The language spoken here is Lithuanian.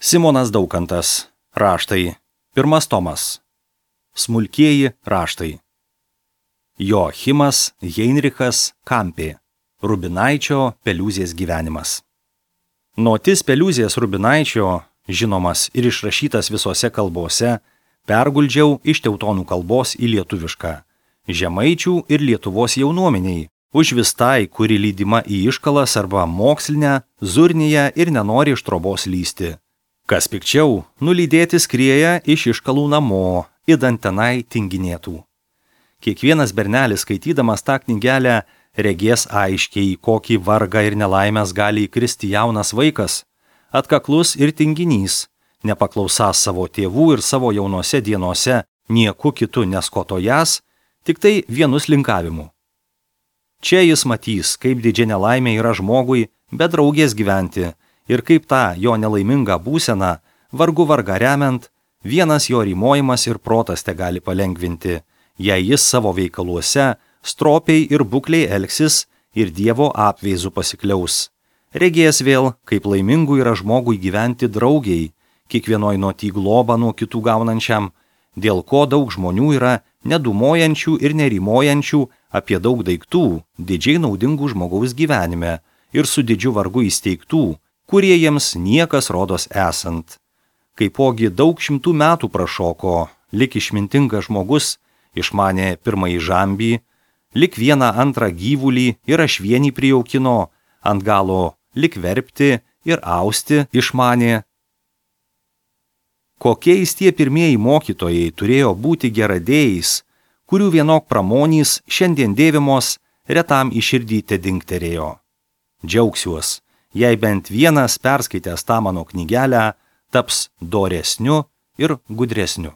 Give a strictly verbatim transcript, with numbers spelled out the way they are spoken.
Simonas Daukantas. Raštai. Pirmas tomas. Smulkieji raštai. Joachimas Heinrichas Kampė. Rubinaičio Peliūzės gyvenimas. Notis Peliūzės Rubinaičio, žinomas ir išrašytas visose kalbose, perguldžiau iš teutonų kalbos į lietuvišką, žemaičių ir Lietuvos jaunuomeniai, užvis tai, kuri lydima į iškalas arba mokslinę, zurnėje ir nenori iš trobos lysti. Kas pikčiau, nulydėti skrieja iš iškalų namo, idant tenai tinginėtų. Kiekvienas bernelis, skaitydamas tą knygelę, regės aiškiai, kokį vargą ir nelaimės gali įkristi jaunas vaikas, atkaklus ir tinginys, nepaklausąs savo tėvų ir savo jaunose dienose nieku kitu neskotojas, tik tai vienus linkavimu. Čia jis matys, kaip didžia nelaimė yra žmogui be draugės gyventi ir kaip tą jo nelaimingą būseną, vargu varga remiant, vienas jo rymojimas ir protas te gali palengvinti, jei jis savo veikaluose stropiai ir bukliai elgsis ir Dievo apveizų pasikliaus. Regės vėl, kaip laimingų yra žmogui gyventi draugiai, kiekvienoj nuotį globą nuo kitų gaunančiam, dėl ko daug žmonių yra nedumojančių ir nerimojančių apie daug daiktų, didžiai naudingų žmogaus gyvenime ir su didžiu vargu įsteigtų, kurie jiems niekas rodos esant. Kaipogi daug šimtų metų prašoko, lik išmintingas žmogus, išmanė pirmąjį žambį, lik vieną antrą gyvulį ir ašvienį prijaukino, ant galo lik verpti ir austi išmanė. Kokiais tie pirmieji mokytojai turėjo būti geradėjais, kurių vienok pramonys šiandien dėvimos retam į širdį te dingterėjo. Džiaugsiuos, jei bent vienas perskaitęs tą mano knygelę taps doresniu ir gudresniu.